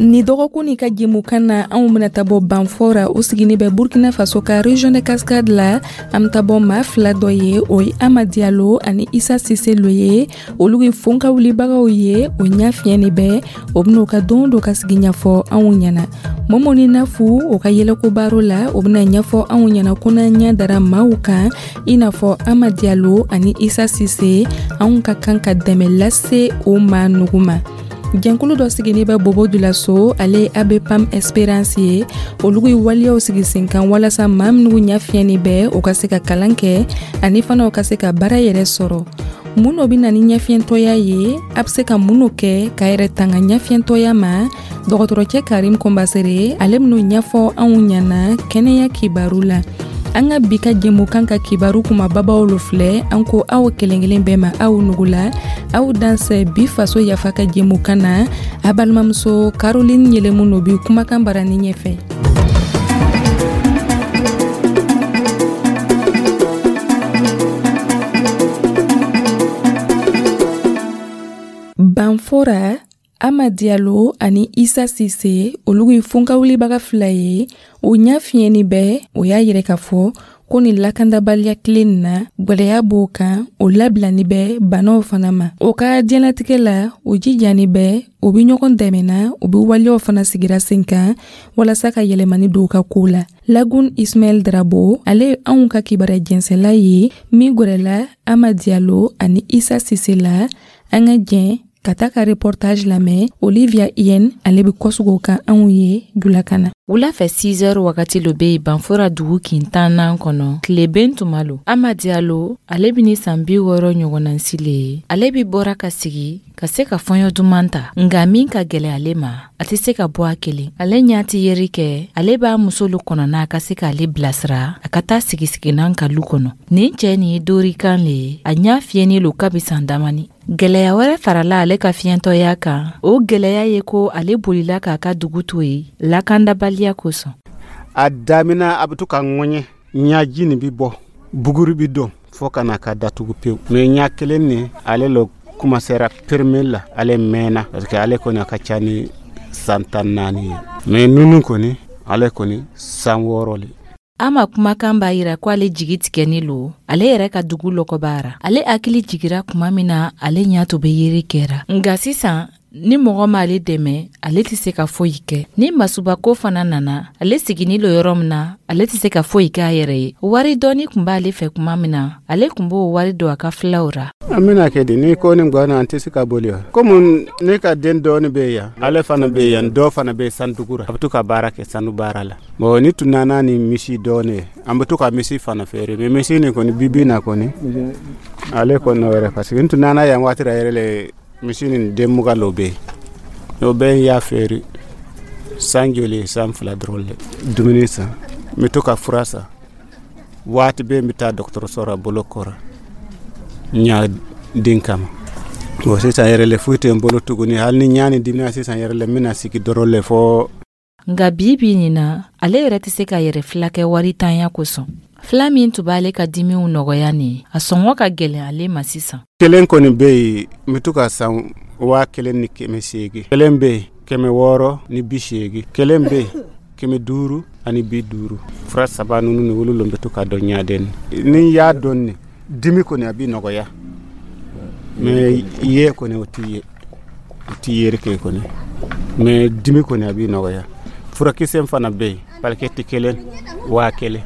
Ni dɔgɔkun nin ka jɛmukan na, anw bena ta bɔ Banfora, o sigini bɛ Burkina Faso ka région de Cascade la. An be ta bɔ maa fila dɔ ye, o ye Ama Diallo ani Isa Sise lo ye. Olu ye fonka wulibagaw ye, o ɲa fiɲɛni bɛ o ben'o ka don dɔ ka sigi ɲɛfɔ anw ɲɛna. Mɔmɔni Nafu, o ka yɛlɛko baro la, o bena ɲɛfɔ anw ɲɛna ko n'an ɲɛ dara maaw kan i n'a fɔ Ama Diallo ani Isa Sise, anw ka kan ka dɛmɛ lase o maa nugu ma. Jɛnkulu dɔ sigini bɛ Bobo Julaso, ale Abepam Espérance ye. Olu ye waleyaw sigi sen kan walasa maa minnu ɲɛ fiɲɛni bɛ, o ka se ka kalan kɛ ani fana o ka se ka baara yɛrɛ sɔrɔ. Mun no bɛ na ni ɲɛfiɲɛtɔya ye? A bɛ se ka mun no kɛ ka yɛrɛ tanga ɲɛfiɲɛtɔya ma? Dɔgɔtɔrɔcɛ Karim Kɔnbasere, ale ben'o ɲɛfɔ anw ɲɛna kɛnɛya kibaru la. An ka bi ka jɛmukan ka kibaru kumababaw lo filɛ. An ko aw kelen kelen bɛɛ ma, aw nugula, aw dansɛ bi Faso Yafa ka jɛmukan na. A balimamuso Caroline Yelemu no bi kumakan barani ɲɛfɛ. Banfora, Ama Diallo ani Isa Sise, olu ye fonkawulibaga fila ye, o ɲa fiɲɛni bɛ. O y'a yɛrɛ k'a fɔ ko ni lakandabaliya tile nin na, gwɛlɛya b'o kan, o labilani bɛ banaw fana ma. O ka diɲɛlatigɛ la, o jijani bɛ, o be ɲɔgɔn dɛmɛna, o be waleyaw fana sigira sen kan walasa ka yɛlɛmani don ka koo la. Lagun Ismaɛl Drabo, ale ye anw ka kibaruya jɛnsɛla ye min gwɛrɛla Ama Diallo ani Isa Sise la. An ka jɛn ka taa ka reportage lamɛn. Olivia Yen, ale be kɔsugo kan anw ye julakan na. Wula fɛ 6 heures wagati lo be yen Banfora dugu kin tannan kɔnɔ, tileben tuma lo. Ama Diallo, ale bɛ ni san 60 ɲɔgɔnnansi le ye. Ale bi bɔra ka sigi ka se ka fɔɲɔ duman ta, nka min ka gɛlɛ ale ma, a tɛ se ka bɔ a kelen. Ale ɲa tɛ yeri kɛ, ale b'a muso lu kɔnɔna ka se k'ale bilasira a ka taa sigisiginan ka lu kɔnɔ. Nin cɛ nin ye dorikan le ye, a ɲa fiyɛni lo kabi san damani. Gɛlɛya wɛrɛ farala ale ka fiɲɛtɔya kan, o gɛlɛya ye ko ale bolila k'a ka dugu to yen lakandabaliya kosɔn. A damina, a bɛ to ka ŋɔɲɛ, ɲaji nin bi bɔ, buguri bi don fo ka na ka datugu pewu. Mais ɲa kelen nin, ale lo commencera premier la, ale mɛnna parce que ale kɔni a ka ca ni san 14 ye. Mais nunu kɔni, ale kɔni san 6 le. Ama kumakan b'a yira ko ale jigi tigɛni lo ale yɛrɛ ka dugu lɔgɔbara. Ale hakili jigira kuma min na, ale ɲa to be yeri kɛra, nka sisan ni mɔgɔ m'ale dɛmɛ, ale tɛ se ka foyi kɛ. Ni masubako fana nana, ale sigini lo yɔrɔ min na, ale tɛ se ka foyi kɛ a yɛrɛ ye. Wari dɔɔni kun b'ale fɛ kuma min na, ale kun b'o wari don a ka filaw ra. An bɛna kɛ di? Ni ko ni gwana, an tɛ se ka boli wa. Komi ne ka den dɔɔni bɛ yan, ale fana bɛ yan, dɔw fana bɛ sandugu ra, a bɛ to ka baara kɛ sanu baara la. Bon, ni tun nana ni misi dɔɔni ye, an bɛ to ka misi fana feere. Mais misi nin kɔni, bibi na kɔni, ale kɔni wɛrɛ, parce que n tun nana yan waati la yɛrɛ le, misi nin den 20 lo bɛ yen. O bɛɛ y'a feere san joli, san 2 dɔrɔn le. Dumuni san, n bɛ to ka fura san, waati bɛɛ n bɛ taa dɔgɔtɔrɔso la bolo kɔrɔ ɲa den kama. Bon, sisan yɛrɛ le, foyi tɛ n bolo tuguni. Hali ni ɲa ni dimina sisan yɛrɛ le, n bɛna sigi dɔrɔn le fɔ. Nka bi bi nin na, ale yɛrɛ tɛ se ka yɛrɛ fila kɛ wari tanya kosɔn. Fila min tun b'ale ka dimiw nɔgɔya nin, a sɔngɔ ka gɛlɛn ale ma sisan. Kelen kɔni bɛ yen, n bɛ to ka san 1800. Kelen bɛ yen, 680. Kelen bɛ yen, 550. Fura saba ninnu ni olu bɛ to ka dɔn ɲaden. Ni y'a dɔn nin, dimi kɔni a bɛ nɔgɔya. Mais ye kɔni, o t'i ye, o t'i yeri kɛ kɔni. Mais dimi kɔni a bɛ nɔgɔya. Furakisɛ fana bɛ yen, paquet kelen 1000.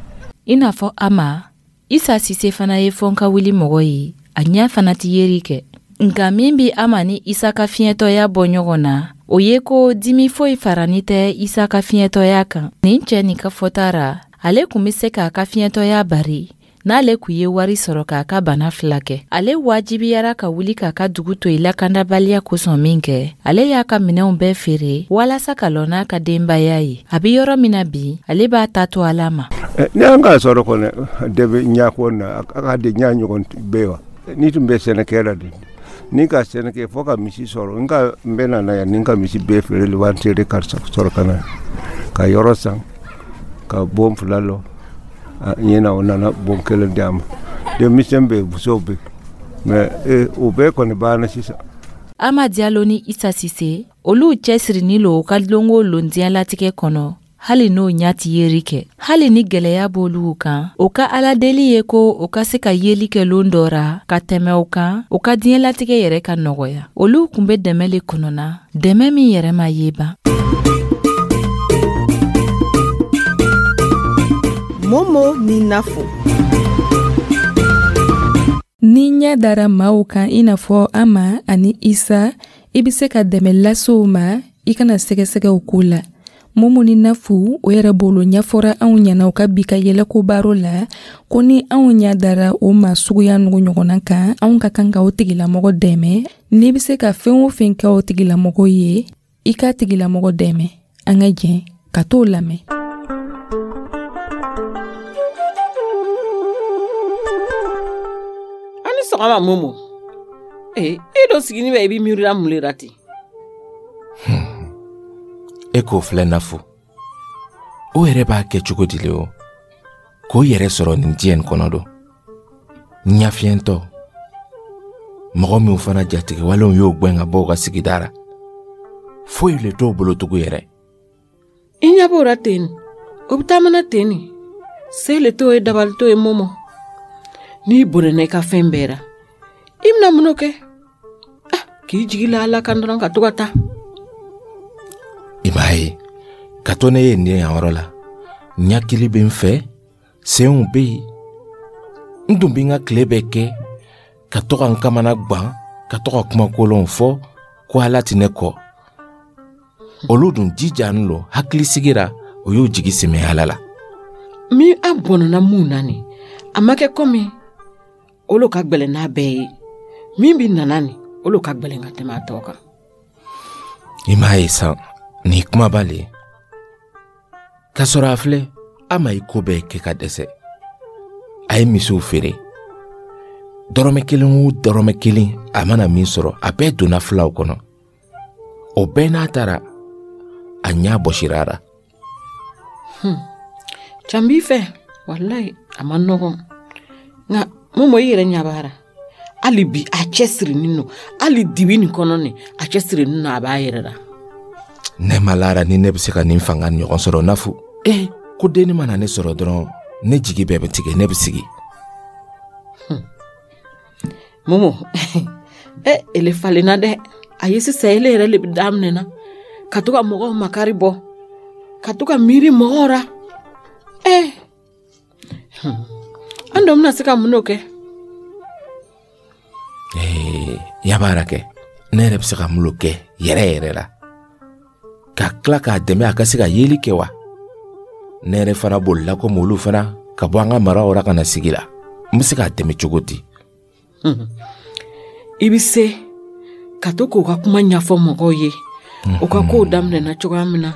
I n'a fɔ Ama, Isa Sise fana ye fɔnka wuli mɔgɔ ye, a ɲɛ fana tɛ yeri kɛ. Nka min bi Ama ni Isa ka fiɲɛtɔya bɔ ɲɔgɔn na, o ye ko dimi foyi farani tɛ Isa ka fiɲɛtɔya kan. Nin cɛ nin ka fɔta ra, ale kun bɛ se k'a ka fiɲɛtɔya bari n'ale kun ye wari sɔrɔ k'a ka bana fila kɛ. Ale wajibiyara ka wuli k'a ka dugu to yen lakandabaliya kosɔn min kɛ, ale y'a ka minɛnw bɛɛ feere walasa ka lɔ n'a ka denbaya ye. A bɛ yɔrɔ min na bi, ale b'a ta to Ala ma. Ni an k'a sɔrɔ kɔni, dɛ bɛ ɲako na, a ka di ɲa ɲɔgɔn bɛɛ wa. Ni tun bɛ sɛnɛkɛ la de, ni ka sɛnɛ kɛ fo ka misi sɔrɔ, n ka n bɛ na yan ni n ka misi bɛɛ feere waati de ka sɔrɔ ka na ka yɔrɔ san ka bon fila lɔ ɲɛna. O nana bon kelen di a ma. Denmisɛn bɛ yen, musow bɛ yen, mais o bɛɛ kɔni banna sisan. Ama Diallo ni Isa Sise, olu cɛsirinin lo u ka lon o lon diɲɛlatigɛ kɔnɔ, hali n'o ɲa ti yeri kɛ. Hali ni gwɛlɛya b'olu kan, o ka aladeli ye ko o ka se ka yeli kɛ lon dɔ ra ka tɛmɛ o kan, o ka diɲɛlatigɛ yɛrɛ ka nɔgɔya. Olu kun be dɛmɛ le kɔnɔna, dɛmɛ min yɛrɛ ma ye ban. Momo ni Nafo. Ni ɲɛ dara maaw kan i n'a fɔ Ama ani Isa, i bɛ se ka dɛmɛ lase u ma, i kana sɛgɛsɛgɛ o ko la. Momo ni Nafu, o yɛrɛ bolo ɲɛfɔra anw ɲɛna u ka bi ka yɛlɛko baro la, ko ni anw ɲɛ dara o maa suguya nugu ɲɔgɔnna kan, anw ka kan ka o tigilamɔgɔ dɛmɛ. N'i bɛ se ka fɛn o fɛn kɛ o tigilamɔgɔ ye, i k'a tigilamɔgɔ dɛmɛ. An ka jɛn ka t'o lamɛn. Ani sɔgɔma Momo. E dɔ sigini bɛ i b'i miirila mun le la ten? E k'o filɛ Nafu. O yɛrɛ b'a kɛ cogo di le o? K'o yɛrɛ sɔrɔ nin diɲɛ nin kɔnɔ don. Ɲafiyɛntɔ. Mɔgɔ minw fana jatigɛwalenw y'o gwɛn ka bɔ u ka sigida ra. Foyi le t'o bolo tugun yɛrɛ. I ɲɛ b'o ra ten, o bɛ taamana ten nin. Se le t'o ye, dabali t'o ye Momo. N'i bɔnɛna i ka fɛn bɛɛ ra, i bɛna mun kɛ? Ah, k'i jigi la Ala kan dɔrɔn ka to ka taa. I m'a ye, ka to ne ye nin yan yɔrɔ la, ɲakili bɛ n fɛ, senw bɛ yen. N dun bɛ n ka tile bɛɛ kɛ ka to ka n kamana gwan, ka to ka kuma kolonw fɔ ko Ala tɛ ne kɔ. Olu dun jijanin lo, hakili sigira, o y'u jigi sɛmɛ Ala la. Min an bɔnɛna mun na nin, a ma kɛ komi olu ka gwɛlɛn n'a bɛɛ ye. Min bi nana nin, olu ka gwɛlɛn ka tɛmɛ a tɔ kan. I m'a ye san, nin kumaba le ye. K'a sɔrɔ a filɛ, a ma i ko bɛɛ kɛ ka dɛsɛ. A ye misiw feere. Dɔrɔmɛ kelen o dɔrɔmɛ kelen a mana min sɔrɔ, a bɛɛ donna filaw kɔnɔ. O bɛɛ n'a taara, a ɲɛ bɔsira a la. Can b'i fɛ, walayi a ma nɔgɔn. Nka Momo i yɛrɛ ɲɛ b'a la. Hali bi a cɛsirinin don, hali dibi nin kɔnɔ nin, a cɛsirinin don, a b'a yɛrɛ la. Ne ma lara ni ne bɛ se ka nin fanga ɲɔgɔn sɔrɔ Nafu. Ko denni mana ne sɔrɔ dɔrɔn, ne jigi bɛɛ bɛ tigɛ, ne bɛ sigi. Momo, ele falenna dɛ. A ye sisan ele yɛrɛ le bɛ daminɛ na ka to ka mɔgɔw makari bɔ, ka to ka miiri mɔgɔw ra. An dɔ bɛna se ka mun kɛ? Yabaara kɛ, ne yɛrɛ bɛ se ka mun kɛ yɛrɛ yɛrɛ la? Ka tila k'a dɛmɛ a ka se ka yeli kɛ wa? Ne yɛrɛ fana bolila komi olu fana ka bɔ an ka maraw ra ka na sigi la. N bɛ se k'a dɛmɛ cogo di? I bɛ se ka to k'o ka kuma ɲɛfɔ mɔgɔw ye. O ka kow daminɛna cogoya min na,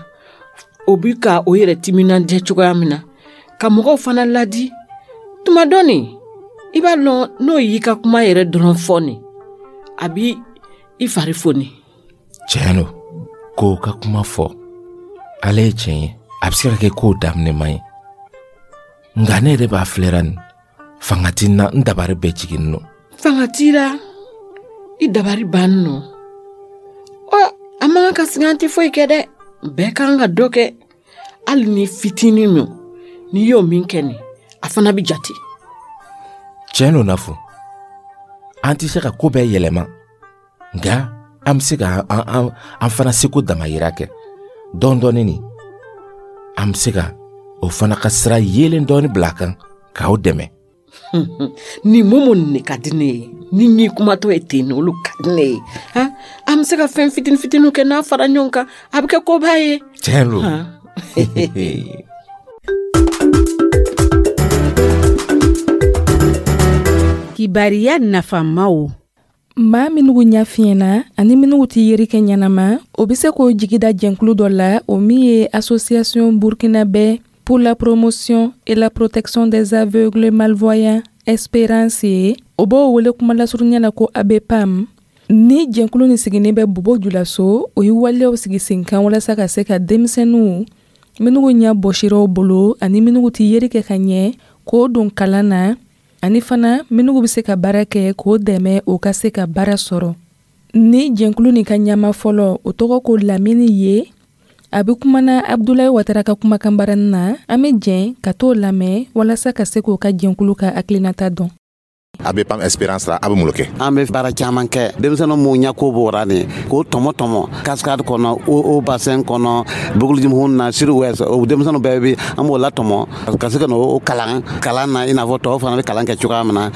o bi ka o yɛrɛ timinandiya cogoya min na, ka mɔgɔw fana ladi. Tuma dɔ nin, i b'a lɔn n'o y'i ka kuma yɛrɛ dɔrɔn fɔ nin, a b'i i fari foni. Tiɲɛ don, k'o ka kuma fɔ, ale ye tiɲɛ ye. A bɛ se ka kɛ kow daminɛ man ye. Nka ne yɛrɛ b'a filɛra nin, fanga ti n na, n dabari bɛɛ jiginni nɔ. Fanga t'i la, i dabari banni nɔ. Ɔ, a man kan ka sigi an tɛ foyi kɛ dɛ. Bɛɛ kan ka dɔ kɛ. Hali ni fitinin min, n'i y'o min kɛ nin, a fana bɛ jate. Tiɲɛ don Nafu, an tɛ se ka ko bɛɛ yɛlɛma, nka an bɛ se ka an fana seko damayira kɛ. Dɔɔni dɔɔni nin, an bɛ se ka o fana ka sira yeelen dɔɔni bila a kan k'aw dɛmɛ. Ni Momo nin de ka di ne ye. Ni n y'i kumatɔ ye ten, olu ka di ne ye. Han, an bɛ se ka fɛn fitinin fitininw kɛ n'a fara ɲɔgɔn kan, a bɛ kɛ koba ye. Tiɲɛ don. Kibariya nafamaw. Maa minnu ɲɛ fiɲɛna ani minnu tɛ yeri kɛ ɲɛnama, o bɛ se k'o jigi da jɛnkulu dɔ la, o min ye Association Burkinabé pour la promotion et la protection des aveugles malvoyants Espérance ye. O b'o wele kuma lasurunya la ko ABPAM. Ni jɛnkulu nin sigilen bɛ Bobo Julaso, o ye waleyaw sigi sen kan walasa ka se ka denmisɛnninw minnu ɲɛ bɔsiraw bolo ani minnu tɛ yeri kɛ ka ɲɛ k'o don kalan na, ani fana minnu bɛ se ka baara kɛ k'o dɛmɛ o ka se ka baara sɔrɔ. Ni jɛnkulu nin ka ɲama fɔlɔ, o tɔgɔ ko Lamini ye, a bɛ kumana Abdulayi Watara ka kumakan na. An bɛ jɛn ka t'o lamɛn walasa ka se k'o ka jɛnkulu ka hakilinata dɔn. ABPAM Espérance la, a bɛ mun kɛ? An bɛ baara caman kɛ. Denmisɛnnin mun ɲɛko bɔra nin k'o tɔmɔ tɔmɔ Cascade kɔnɔ, o bassin kɔnɔ, Boucle na, sud ouest, o denmisɛnninw bɛɛ bi an b'o latɔmɔ ka se ka n'o kalan kalan na, i n'a fɔ tɔw fana bɛ kalan kɛ cogoya min na.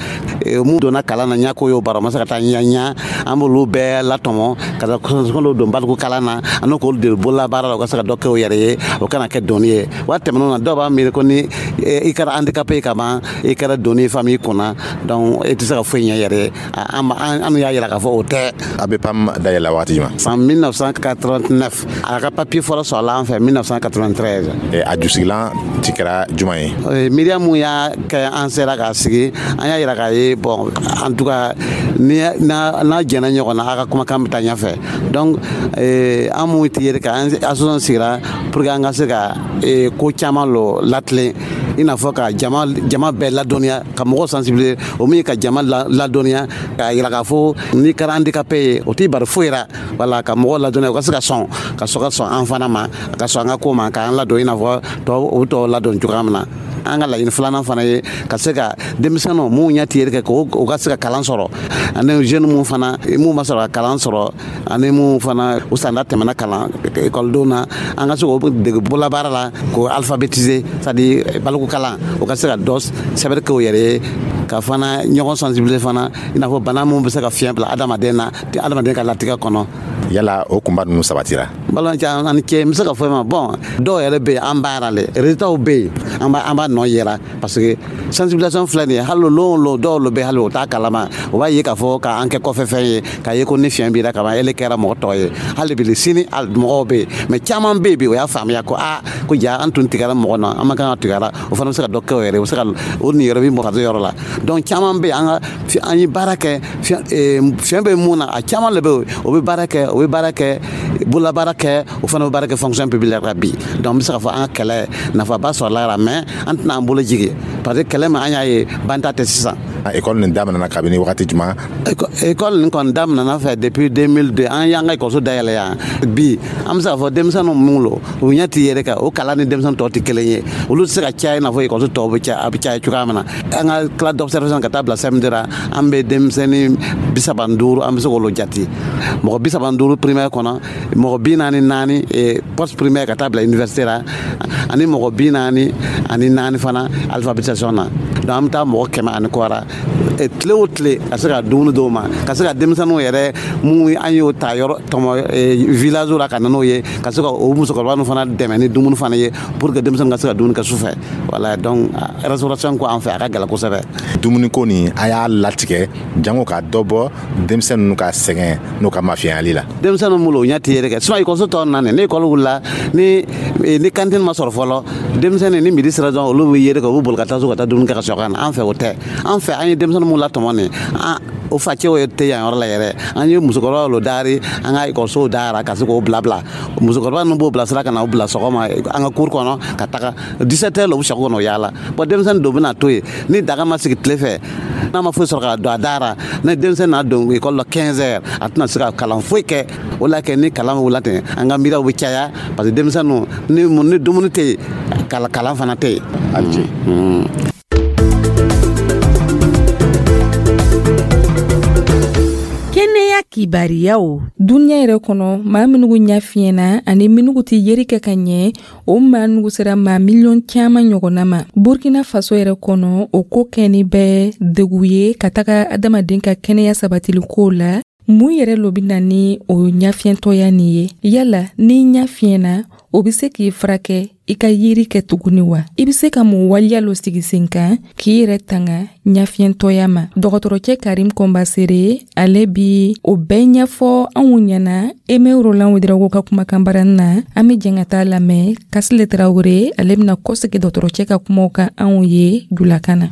Mun donna kalan na, ɲɛko y'o bara, o ma se ka taa ɲɛ ɲɛ, an b'olu bɛɛ latɔmɔ ka taa don baliku kalan na ani k'olu dege bololabaara la, u ka se ka dɔ kɛ u yɛrɛ ye, o kana kɛ doni ye. Waati tɛmɛnenw na, dɔw b'a miiri ko ni i kɛra handicapé ye ka ban, i kɛra doni ye famille kunna, donc e tɛ se ka foyi ɲɛ yɛrɛ ye. An y'a yira k'a fɔ o tɛ. ABPAM dayɛlɛ waati jumɛn? San 1989. A ka papier fɔlɔ sɔrɔla an fɛ 1993. A jusigilan ti kɛra jumɛn ye? Miiriya mun y'a kɛ an sera k'a sigi, an y'a yira k'a ye, bon, en tout cas, ni n'a jɛnna ɲɔgɔn na, a ka kumakan bɛ taa ɲɛfɛ. Donc an mun tɛ yɛrɛ kan, association sigira pour que an ka se ka ko caman lɔ latilen, i n'a fɔ ka jama bɛɛ ladɔnniya, ka mɔgɔw sensibiliser. O min ye ka jama ladɔnniya, k'a yira k'a fɔ n'i kɛra handicapé ye, o t'i bari foyi la. Wala ka mɔgɔw ladɔnniya, u ka se ka sɔn ka sɔn ka sɔn an fana ma, ka sɔn an ka ko ma, k'an ladon i n'a fɔ tɔw o tɔw ladon cogoya min na. An ka laɲini filanan fana ye ka se ka denmisɛnninw mun ɲɛ tiyeri kɛ, k'o ka se ka kalan sɔrɔ, ani jeune mun fana mun ma sɔrɔ ka kalan sɔrɔ, ani mun fana u sanda tɛmɛna kalan ekɔlidenw na, an ka se k'o dege bololabaara la, k'o alphabétiser, c'est à dire baliku kalan, o ka se ka dɔ sɛbɛnni kɛ u yɛrɛ ye, ka fana ɲɔgɔn sensibiliser fana, i n'a fɔ bana mun bɛ se ka fiɲɛ bila adamaden na, adamaden ka latigɛ kɔnɔ. Yala o kunba ninnu sabatira? Balimakɛ, ani cɛ, n bɛ se ka fɔ i ma, bon, dɔw yɛrɛ bɛ yen, an b'a la dɛ, résultats bɛ yen, an b'a nɔ yɛrɛ, parce que sensibilisation filɛ nin ye. Hali lon o lon, dɔw lo bɛ, hali o t'a kalama, o b'a ye k'a fɔ k'an kɛ kɔfɛ fɛn ye, k'a ye ko ni fiɲɛ b'i la ka ban, ele kɛra mɔgɔ tɔ ye. Hali bi sini mɔgɔw bɛ yen, mais caman bɛ yen bi, o y'a faamuya ko aa, ko ja an tun tigɛra mɔgɔ na, an ma kan ka tigɛra. O fana bɛ se ka dɔ kɛ o yɛrɛ ye, o bɛ se ka o niyɔrɔ bɛ mɔgɔ yɔrɔ la. Donc caman bɛ yen, an ka an ye baara kɛ, fiɲɛ bɛ mun na, a caman de bɛ yen, o bɛ baara kɛ, o bɛ baara kɛ, bololabaara kɛ, o fana bɛ baara kɛ fonction publique la bi. Donc n bɛ se k'a fɔ an ka kɛlɛ nafaba sɔrɔla la, mais an tɛna an bolo jigin, parce que kɛlɛ min an y'a ye, banta tɛ sisan. École nin daminɛna kabini wagati jumɛn? École nin kɔni daminɛna fɛ depuis 2002. An y'an ka ekɔliso dayɛlɛ yan bi. An bɛ se k'a fɔ denmisɛnninw mun lo, u ɲɛ ti yɛrɛ kan, o kalan ni denmisɛnnin tɔw tɛ kelen ye, olu tɛ se ka caya i n'a fɔ ekɔliso tɔw bɛ caya, a bɛ caya cogoya min na. An ka classe d'observation ka taa bila CM2 la, an bɛ denmisɛnnin 35, an bɛ se k'olu jate, mɔgɔ 35 primaire kɔnɔ, mɔgɔ 44 post primaire ka taa bila université la, ani mɔgɔ 44 fana alphabétisation na. Donc an bɛ taa mɔgɔ 100 ani kɔ la tile o tile, ka se ka dumuni dɔw ma, ka se ka denmisɛnninw yɛrɛ mun an y'o ta yɔrɔ tɔmɔ village la ka na n'o ye, ka se ka o musokɔrɔba ninnu fana dɛmɛ ni dumuni fana ye, pour que denmisɛnnin ka se ka dumuni kɛ su fɛ. Voilà, donc restauration ko an fɛ, a ka gɛlɛn kosɛbɛ. Dumuniko nin, a y'a latigɛ jango ka dɔ bɔ denmisɛnnin ninnu ka sɛgɛn n'u ka mafiyɛnyali la. Denmisɛnninw bolo, o ɲɛ tɛ yɛrɛ kɛ, sinon ekɔliso tɔ na ni ekɔli wulila, ni cantine ma sɔrɔ fɔlɔ, denmisɛnnin ni midi sera dɔrɔn, olu bɛ yɛrɛ kɛ, u bɛ boli ka taa so ka taa dumuni kɛ ka sɔrɔ ka na. An fɛ, o tɛ. An fɛ, an ye denmisɛnnin mun latɔmɔ nin, o facɛw tɛ yan yɔrɔ la yɛrɛ. An ye musokɔrɔbaw lo dari an ka ekɔlisow dayara ka se k'o bila bila. Musokɔrɔba ninnu b'o bilasira ka na o bila sɔgɔma an ka cour kɔnɔ ka taga 17 heures la, u bɛ sɛko kɔnɔ yaala. Bon, denmisɛnnin dɔw bɛna to yen ni daga ma sigi tile fɛ, n'a ma foyi sɔrɔ ka don a dara, ni denmisɛnnin n'a don ekɔli la 15 heures, a tɛna se ka kalan foyi kɛ. O la kɛ ni kalan wula ten, an ka miiriyaw bɛ caya, parce que denmisɛnninw ni dumuni tɛ yen, kalan fana tɛ yen. A ce. Kɛnɛya kibariyaw. Duniɲa yɛrɛ kɔnɔ, maa minugu ɲa fiɲɛna ani minugu tɛ yeri kɛ ka ɲɛ, o maa nugu sera maa miliyɔn caaman ɲɔgɔnna ma. Burkina Faso yɛrɛ kɔnɔ, o ko kɛni bɛ degu ye ka taga adamaden ka kɛnɛya sabatili kow la. Mun yɛrɛ lo bɛ na ni o ɲafiɲɛtɔya nin ye? Yala n'i ɲa fiɲɛna, o bɛ se k'i furakɛ i ka yeri kɛ tuguni wa? I bɛ se ka mun waleya lo sigi sen kan k'i yɛrɛ tanga ɲafiɲɛtɔya ma? Dɔgɔtɔrɔcɛ Karim Kɔnbasere, ale bi o bɛɛ ɲɛfɔ anw ɲɛna Eme Roland Ouedraogo ka kumakan barani na. An bɛ jɛn ka taa lamɛn. Kasile Tarawele, ale bɛna kɔsegi dɔgɔtɔrɔcɛ ka kumaw kan anw ye julakan na.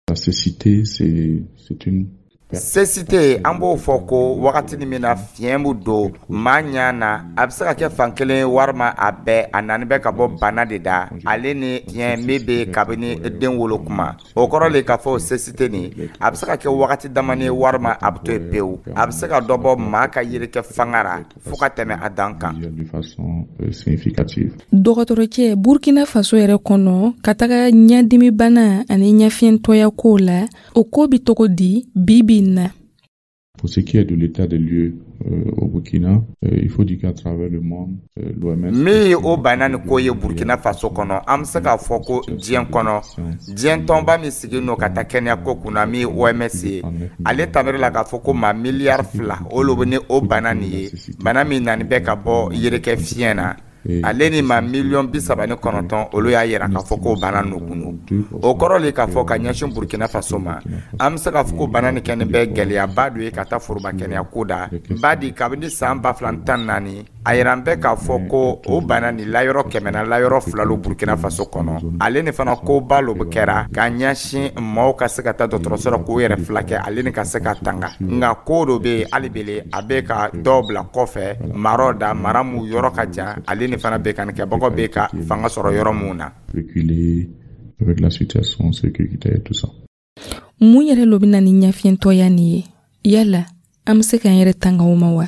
La cécité, c'est une Cécité, an b'o fɔ ko wagati min na fiɲɛ bɛ don maa ɲɛ na, a bɛ se ka kɛ fan kelen walima a bɛɛ, a nani bɛ ka bɔ bana de da, ale ni fiɲɛ min bɛ kabini den wolo kuma. O kɔrɔ le k'a fɔ cécité nin, a bɛ se ka kɛ wagati damani ye walima a bɛ to yen pewu. A bɛ se ka dɔ bɔ maa ka yirikɛ fanga ra fo ka tɛmɛ a dan kan. Dɔgɔtɔrɔcɛ, Burkina Faso yɛrɛ kɔnɔ, ka taga ɲɛdimibana ani ɲɛfiyɛntɔya kow la, o ko bɛ cogo di bi bi in na? Pour ce qui est de l'état des lieux au Burkina, il faut dire qu'à travers le monde, l'OMS... Min ye o bana nin ko ye Burkina Faso kɔnɔ, an bɛ se k'a fɔ ko diɲɛ kɔnɔ, diɲɛ tɔnba min sigilen don ka taa kɛnɛya ko kunna, min ye OMS ye, ale tabiri la k'a fɔ ko maa miliyari 2 olu bɛ ni o bana nin ye, bana min nani bɛ ka bɔ yirikɛ fiɲɛ na. Ale ni maa miliyɔn 39, olu y'a yira k'a fɔ ko bana nukun don. O kɔrɔ le k'a fɔ ka ɲɛsin Burkina Faso ma, an bɛ se k'a fɔ ko bana nin kɛlen bɛ gɛlɛyaba dɔ ye ka taa foroba kɛnɛya ko da. Badi kabini san 2014, a yira an bɛ k'a fɔ ko o bana nin layɔrɔ 100 na layɔrɔ 2 lo Burkina Faso kɔnɔ. Ale ni fana koba lo bɛ kɛra ka ɲɛsin maaw ka se ka taa dɔgɔtɔrɔso la k'u yɛrɛ filakɛ, ale ni ka se ka tanga. Nka ko dɔ bɛ yen hali bele, a bɛ ka dɔw bila kɔfɛ maraw da, mara mun yɔrɔ ka jan, ale ni fana bɛ ka nin kɛbagaw bɛ ka fanga sɔrɔ yɔrɔ mun na. Avec la situation sécuritaire et tout ça. Mun yɛrɛ lo bɛ na ni ɲɛfiyɛntɔya nin ye? Yala an bɛ se k'an yɛrɛ tanga o ma wa?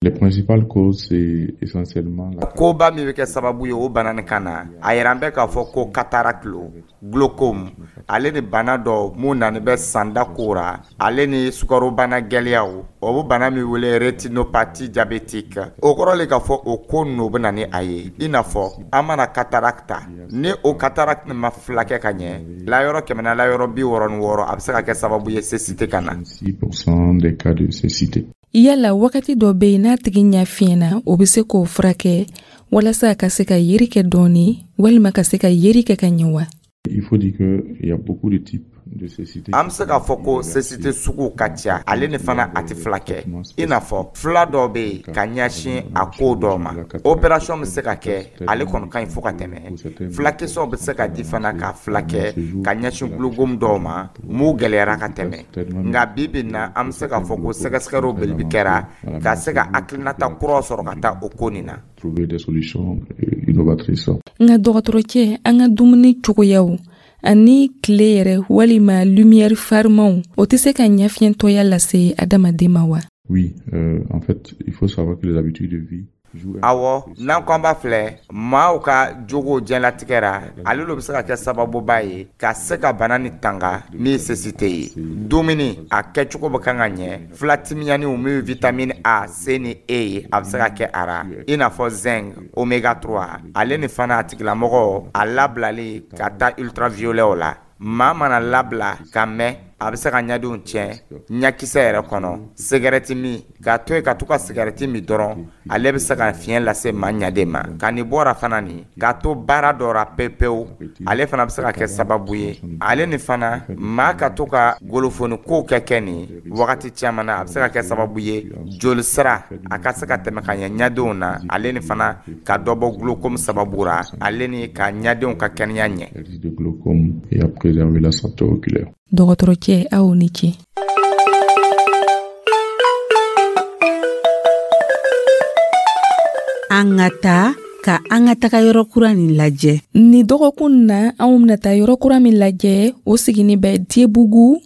Les principales causes, c'est essentiellement la... Koba min bɛ kɛ sababu ye o bana nin kan na, a yira an bɛ k'a fɔ ko cataracte lo, glaucome, ale ni bana dɔ mun nani bɛ sanda ko ra, ale ni sukarobana gɛlɛyaw, o bɛ bana min wele rétinopathie diabétique. O kɔrɔ le k'a fɔ o ko ninnu bɛ na ni a ye. I n'a fɔ an mana cataracte ta, ni o cataracte nin ma filakɛ ka ɲɛ, layɔrɔ 100 na layɔrɔ 66, a bɛ se ka kɛ sababu ye cécité ka na. 6% des cas de cécité. Yala wagati dɔ bɛ yen n'a tigi ɲɛ fiɲɛna, o bɛ se k'o furakɛ walasa a ka se ka yeri kɛ dɔɔni walima ka se ka yeri kɛ ka ɲɛ wa? Il faut dire que il y a beaucoup de types de cécité. An bɛ se k'a fɔ ko cécité sugu ka ca, ale ni fana a tɛ fila kɛ. I n'a fɔ fila dɔw bɛ yen ka ɲɛsin a ko dɔw ma, opération bɛ se ka kɛ, ale kɔni ka ɲi fo ka tɛmɛ. Fulakisɛw bɛ se ka di fana ka fila kɛ ka ɲɛsin glaucome dɔw ma mun gɛlɛyara ka tɛmɛ. Nka bi bi in na, an bɛ se k'a fɔ ko sɛgɛsɛgɛliw bele kɛra ka se ka hakilinata kuraw sɔrɔ ka taa o ko nin na. Trouver des solutions innovatrices. Nka dɔgɔtɔrɔcɛ, an ka dumuni cogoyaw ani tile yɛrɛ walima lumière farimanw, o tɛ se ka ɲɛfiyɛntɔya lase adamaden ma wa? Oui, en fait, il faut savoir que les habitudes de vie. Awɔ, n'an ko an b'a filɛ maaw ka jogo diɲɛlatigɛ ra, ale lo bɛ se ka kɛ sababuba ye ka se ka bana ni tanga min ye cécité ye. Dumuni a kɛcogo bɛ kan ka ɲɛ, filatimiyaniw min ye vitamine A, C ni E ye, a bɛ se ka kɛ a ra, i n'a fɔ zinc, oméga 3, ale ni fana a tigilamɔgɔ a labilali ka taa ultraviolet la. Maa mana labila ka mɛn, a bɛ se ka ɲɛdenw tiɲɛ ɲakisɛ yɛrɛ kɔnɔ. Sigɛrɛti min, k'a to yen ka to ka sigɛrɛti min dɔrɔn, ale bɛ se ka fiɲɛ lase maa ɲaden ma. Ka nin bɔra fana nin k'a to baara dɔ ra pewu pewu, ale fana bɛ se ka kɛ sababu ye. Ale ni fana maa ka to ka golofoni kow kɛ nin wagati caman na, a bɛ se ka kɛ sababu ye joli sira a ka se ka tɛmɛ ka ɲɛ ɲadenw na, ale ni fana ka dɔ bɔ glaucome sababu ra, ale ni ka ɲadenw ka kɛnɛya ɲɛ. Dɔgɔtɔrɔcɛ, aw ni ce. An ka taa ka an ka taga yɔrɔ kura nin lajɛ. Ni dɔgɔkun na, anw bɛna taa yɔrɔ kura min lajɛ, o sigini bɛ Diébougou,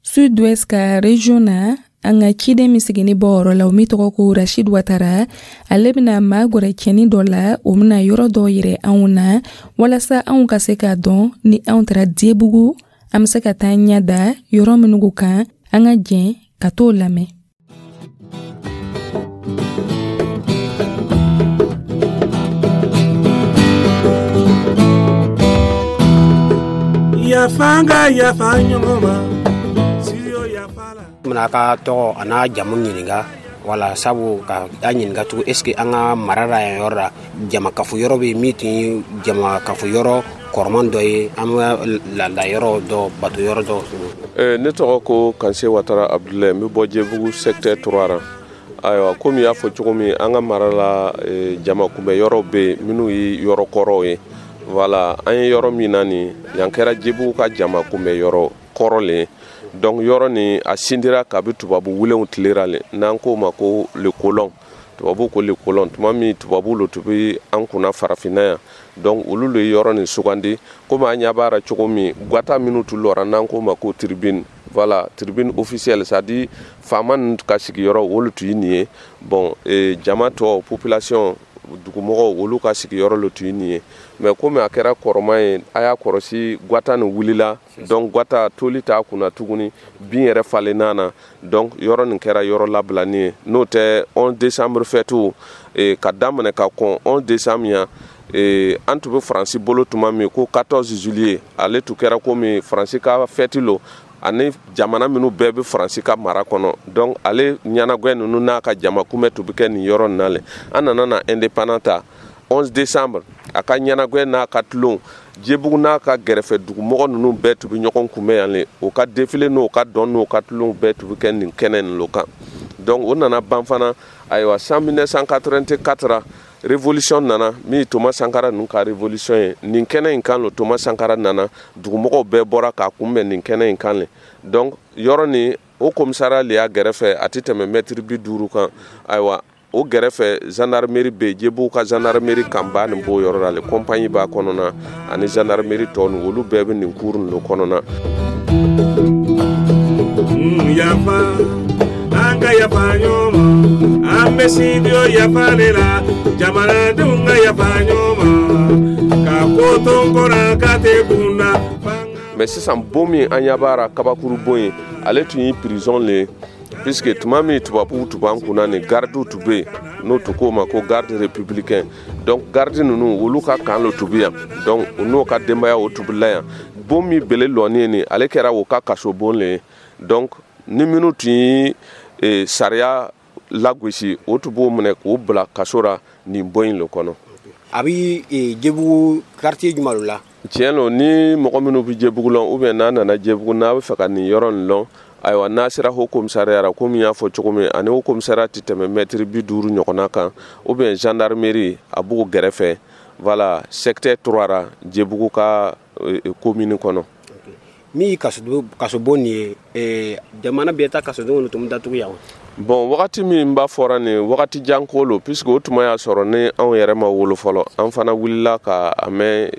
Sud-Ouest ka région na. An ka ciden min sigini bɔ yɔrɔ la, o min tɔgɔ ko Rachid Ouattara, ale bɛna maa gwɛrɛ cɛnin dɔ la, o bɛna yɔrɔ dɔ yɛrɛ anw na walasa anw ka se k'a dɔn ni anw taara Diébougou, an bɛ se ka taa ɲɛ da yɔrɔ minnu kan. An ka jɛn ka t'o lamɛn. Yafa ka yafa ɲɔgɔn ma, studio yafa la. Bɛna a ka tɔgɔ a n'a jamu ɲininka, wala sabu ka a ɲininka tugun, est ce que an ka mara la yan yɔrɔ la jamakafo yɔrɔ bɛ min tun ye jamakafo yɔrɔ kɔrɔman dɔ ye, an bɛ laada yɔrɔ dɔ, bato yɔrɔ dɔ. Ne tɔgɔ ko Kanse Watara Abdulayi, n bɛ bɔ Diébougou secteur 3 la. Ayiwa, komi y'a fɔ cogo min, an ka mara la jama kunbɛ yɔrɔ bɛ yen minnu ye yɔrɔ kɔrɔw ye. Voilà, an ye yɔrɔ min na nin, yan kɛra Diébougou ka jama kunbɛ yɔrɔ kɔrɔ le ye. Donc yɔrɔ nin a sindira kabi tubabu wulenw tile ra le, n'an k'o ma ko le colon, tubabu ko le colon. Tuma min tubabu lo tun bɛ an kunna farafinna yan, donc olu le ye yɔrɔ nin sugandi. Komi an ɲɛ b'a ra cogo min, gwata minnu tun lɔra, n'an k'o ma ko tribune, voilà, tribune officielle, c'est à dire faama ninnu ka sigiyɔrɔ, olu tun ye nin ye. Bon, jama tɔ, population, dugumɔgɔw, olu ka sigiyɔrɔ le tun ye nin ye. Mais komi a kɛra kɔrɔma ye, a y'a kɔrɔsi, gwata nin wulila. Donc gwata toli t'a kunna tuguni, bin yɛrɛ falenna na. Donc yɔrɔ nin kɛra yɔrɔ labilani ye. N'o tɛ, 11 décembre fête ka daminɛ ka kɔn 11 décembre yan, an tun bɛ Faransi bolo tuma min ko 14 juillet, ale tun kɛra komi Faransi ka fête lo, ani jamana minnu bɛɛ bɛ Faransi ka mara kɔnɔ. Donc ale ɲɛnagwɛ ninnu n'a ka jama kunbɛ tun bɛ kɛ nin yɔrɔ nin na le. An nana na indépendant ta, 11 décembre, a ka ɲɛnagwɛ n'a ka tulon, Jebugu n'a ka gɛrɛfɛ dugumɔgɔ ninnu bɛɛ tun bɛ ɲɔgɔn kunbɛn yan le. O ka défilé n'o ka dɔn n'o ka tulon bɛɛ tun bɛ kɛ nin kɛnɛ nin lo kan. Donc o nana ban fana. Ayiwa, san 1984, révolution nana, min ye Thomas Sankara ninnu ka révolution ye. Nin kɛnɛ in kan lo Thomas Sankara nana, dugumɔgɔw bɛɛ bɔra k'a kunbɛn nin kɛnɛ in kan le. Donc yɔrɔ nin, o commissariat le y'a gɛrɛfɛ, a tɛ tɛmɛ mɛtiri 50 kan. Ayiwa, o gɛrɛfɛ gendarmerie bɛ yen, Jebugu ka gendarmerie kanba nin b'o yɔrɔ la le, compagnie b'a kɔnɔna ani gendarmerie tɔ ninnu, olu bɛɛ bɛ nin cour nin kɔnɔna. Yafa, an ka yafa ɲɔgɔn ma, an bɛ studio yafa de la, jamanadenw ka yafa ɲɔgɔn ma, ka ko to n kɔrɔ k'a tɛ kun na. Mais sisan, bon min an ɲɛ b'a ra, kabakuru bon ye, ale tun ye prison le ye, puisque tuma min tubabuw tun b'an kunna nin, gardiw tun bɛ yen, n'o tun k'o ma ko garde républicain. Donc garde ninnu, olu ka camp lo tun bɛ yan. Donc u n'o ka denbaya, o tun bɛ la yan. Bon min bele lɔni ye nin, ale kɛra o ka kaso bon le ye. Donc ni minnu tun ye sariya lagosi, o tun b'o minɛ k'o bila kaso ra nin bon in le kɔnɔ. A bɛ Jebugu quartier jumɛn la? Tiɲɛ lo, ni mɔgɔ minnu bɛ Jebugu lɔn, ou bien n'a nana Jebugu, n'a bɛ fɛ ka nin yɔrɔ nin lɔn, ayiwa, n'a sera haut commissariat la, komi n y'a fɔ cogo min, ani haut commissariat tɛ tɛmɛ mɛtiri 50 ɲɔgɔnna kan, ou bien gendarmerie, a b'o gɛrɛfɛ. Voilà, secteur 3 ra, Jebugu ka commune kɔnɔ. Min ye kasobon nin ye, jamana bɛɛ ta kasodenw tun bɛ datugu yan. Bon, wagati min b'a fɔra nin, wagati jan ko lo, puisque o tuma y'a sɔrɔ ni anw yɛrɛ ma wolo fɔlɔ. An fana wulila ka a mɛn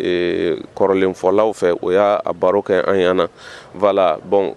kɔrɔlenfɔlaw fɛ, o y'a baro kɛ an ɲɛna. Voilà, bon,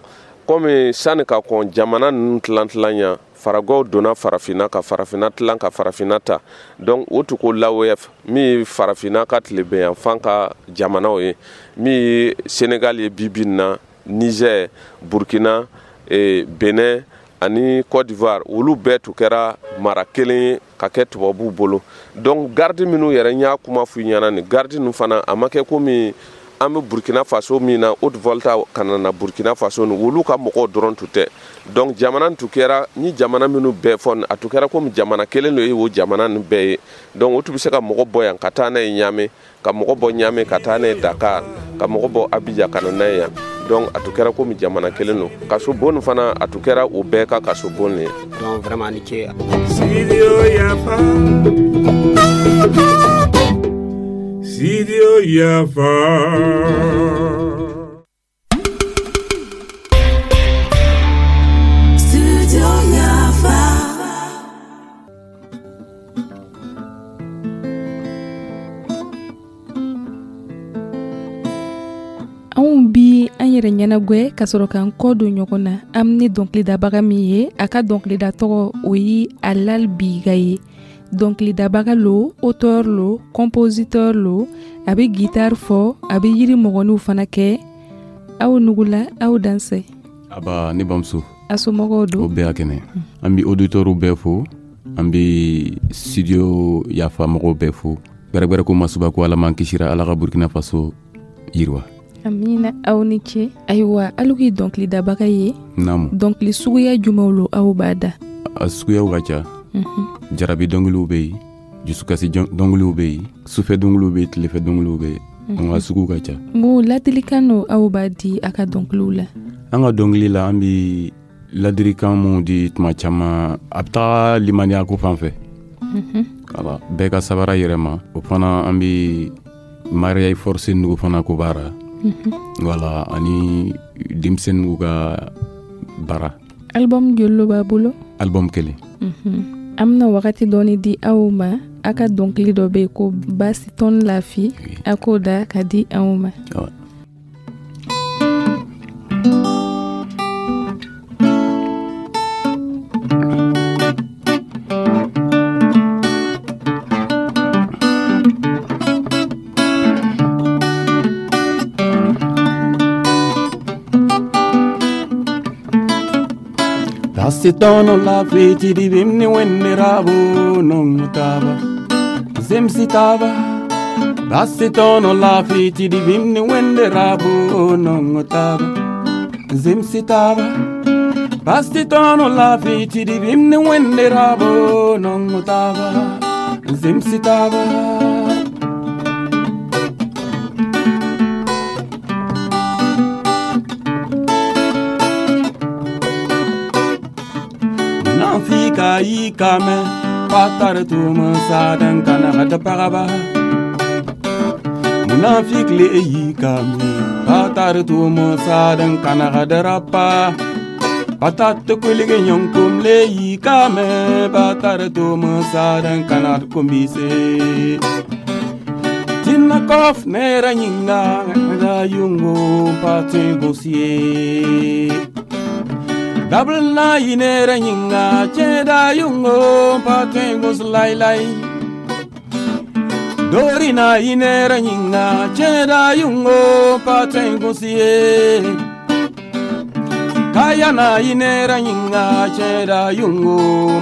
komi sani ka kɔn jamana ninnu tilan tilan ɲa, faragɔw donna farafinna ka farafinna tilan ka farafinna ta. Donc o tun ko l'AOF, min ye farafinna ka tilebinyanfan ka jamanaw ye, min ye Senegal ye bi bi in na, Niger, Burkina, Benin ani Côte d'Ivoire, olu bɛɛ tun kɛra mara kelen ye ka kɛ tubabuw bolo. Donc garde minnu yɛrɛ, n y'a kuma f'u ɲɛna, nin garde ninnu fana, a ma kɛ komi an bɛ Burkina Faso min na, Haute Volta ka na Burkina Faso ni olu ka mɔgɔw dɔrɔn tun tɛ. Donc jamana tun kɛra ni jamana minnu bɛɛ fɔ, a tun kɛra komi jamana kelen de ye o jamana nin bɛɛ ye. Donc o tun bɛ se ka mɔgɔ bɔ yan ka taa n'a ye Ɲame, ka mɔgɔ bɔ Ɲame ka taa n'a ye Dakar, ka mɔgɔ bɔ Abidjan ka na n'a ye yan. Donc a tun kɛra komi jamana kelen don. Kaso bon fana, a tun kɛra o bɛɛ ka kaso bon de ye. Donc vraiment, a ni ce. Studio yafa, Studio yafa. Studio yafa. Anw bi an yɛrɛ ɲɛnagwɛ ka sɔrɔ k'an kɔ don ɲɔgɔn na. An ni dɔnkilidabaga min ye, a ka dɔnkilida tɔgɔ o ye Alal Biga ye. Dɔnkilidabaga lo, auteur lo, compositeur lo, a bɛ guitare fɔ, a bɛ yiri mɔgɔninw fana kɛ. Aw nugula, aw dansɛ. Aba, ne bamuso. A somɔgɔw don? O bɛɛ y'a kɛnɛ. An bɛ auditeurs bɛɛ fo, an bɛ studio yafa mɔgɔw bɛɛ fo. Gbɛrɛgbɛrɛ ko masuba ko Ala m'an kisira, Ala ka Burkina Faso yiriwa. Amina, aw ni ce. Ayiwa, alu k'i dɔnkilidabaga ye. Naamu. Dɔnkili suguya jumɛnw lo aw b'a da? A suguyaw ka ca. Jarabi dɔnkiliw bɛ yen, dusukasi dɔnkiliw bɛ yen, sufɛ dɔnkiliw bɛ yen, tilefɛ dɔnkiliw bɛ yen. An ka sugu ka ca. Mun ladilikan no aw b'a di a ka dɔnkiliw la? An ka dɔnkili la, an bɛ ladilikan mun di tuma caman, a bɛ taga limaniya ko fan fɛ. Wala, bɛɛ ka sabara yɛrɛ ma. O fana, an bɛ mariage forcé nugu fana ko b'a ra. Voilà, ani denmisɛnninw ka baara. Album joli lo b'a bolo? Album kelen. An bɛna wagati dɔɔni di aw ma. A ka dɔnkili dɔ bɛ yen ko Basi tɔn lafi, a k'o da ka di anw ma. Basitono la fiti di bimni wenne rabo non taba Zimsitaba. Basitono la fiti di bimni wenne rabo non taba Zimsitaba. Basitono la fiti di bimni wenne rabo non taba Zimsitaba. Fika yikame patar tuma sadan kana gata pagaba. Munafik le yikame patar tuma sadan kana gata rapa. Patat kulige nyonkum le yikame patar tuma sadan kana kumbise. Tinna kof nera nyinga da yungo pate gosie. Double na inera nyinga cheda yungo patengos lai lai. Dori na inera nyinga cheda yungo patengos ye. Kaya na inera nyinga cheda yungo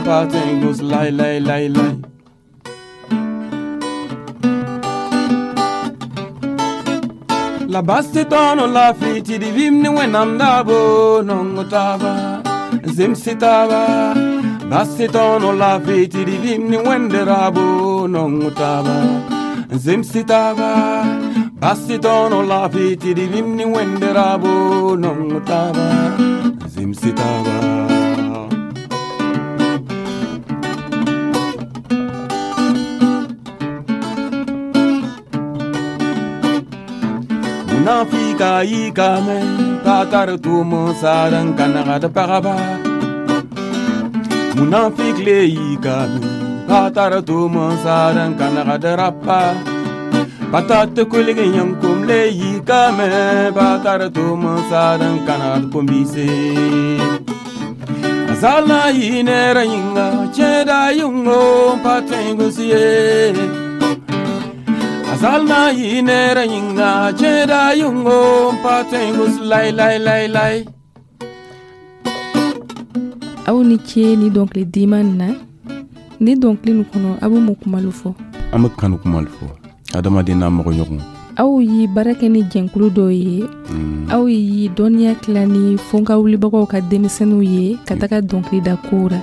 patengos lai lai lai lai. La basti tono la fiti di vimni wenam dabo nongo taba zimsitaba. Basti tono la fiti di vimni wende rabo nongo taba zimsitaba. Basti tono la fiti di vimni wende rabo nongo taba zimsitaba. Munafika yikame patar tumo saran kana gata pagaba. Munafik le yikame patar tumo saran kana gata rapa. Patat kulige yankum le yikame patar tumo saran kana gata kumbise. Azala yinera yinga cheda yungo patengusiye. Azalna yinera yinga cheda yungo patengus lai lai lai lai. Aw ni ce ni dɔnkili diman na. Ni dɔnkili nin kɔnɔ, aw bɛ mun kumalu fɔ? An bɛ kanu kumalu fɔ. Adamaden n'a mɔgɔ ɲɔgɔn. Aw ye baara kɛ ni jɛnkulu dɔw ye. Aw ye dɔnniya tila ni fonka wulibagaw ka denmisɛnninw ye ka taga dɔnkili da kow la.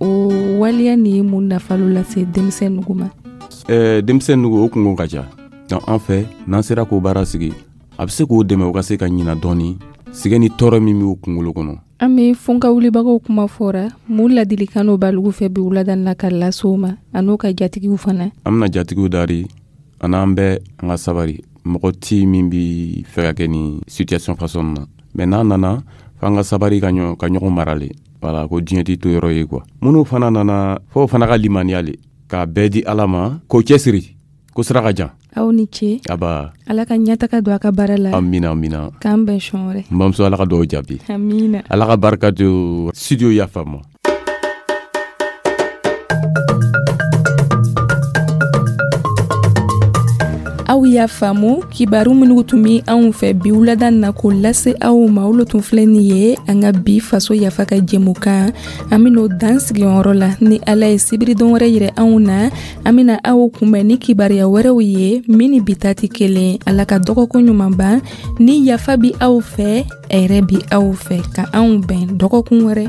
O waleya nin ye mun nafa lase denmisɛnninw ma? Denmisɛnninw o kungo ka ca. Donc an fɛ n'an sera k'o baara sigi, a bɛ se k'o dɛmɛ u ka se ka ɲina dɔɔni sɛgɛn ni tɔɔrɔ min b'u kunkolo kɔnɔ. An bɛ fonka wulibagaw kuma fɔra, mun ladilikan b'alu fɛ bi wulada in na ka lase u ma a n'u ka jatigiw fana? An bɛna jatigiw dari ani an bɛɛ an ka sabari. Mɔgɔ ti min bi fɛ ka kɛ nin situation façon na, mais n'a nana f'an ka sabari ka ɲɔgɔn mara le. Voilà, ko diɲɛ t'i to yɔrɔ ye quoi. Minnu fana nana f'o fana ka limaniya le, k'a bɛɛ di Ala ma, k'o cɛsiri, ko sira ka jan. Aw ni ce. Aba. Ala ka ɲɛtaga don a ka baara la. Amina, amina. K'an bɛn sɔn wɛrɛ. N bamuso, Ala ka dugawu jaabi. Amina. Ala ka barika don studio Yafa ma. Aw y'a faamu, kibaru minnu tun bɛ anw fɛ bi wulada na k'o lase aw ma, olu tun filɛ nin ye an ka bi faso yafa ka jɛmukan. An bɛn'o dan sigi yɔrɔ la. Ni Ala ye sibiridon wɛrɛ yira anw na, an bɛna aw kunbɛn ni kibaruya wɛrɛw ye min ni bi ta tɛ kelen. Ala ka dɔgɔkun ɲuman ban. Ni yafa bi aw fɛ, hɛrɛ bi aw fɛ. Ka anw bɛn dɔgɔkun wɛrɛ.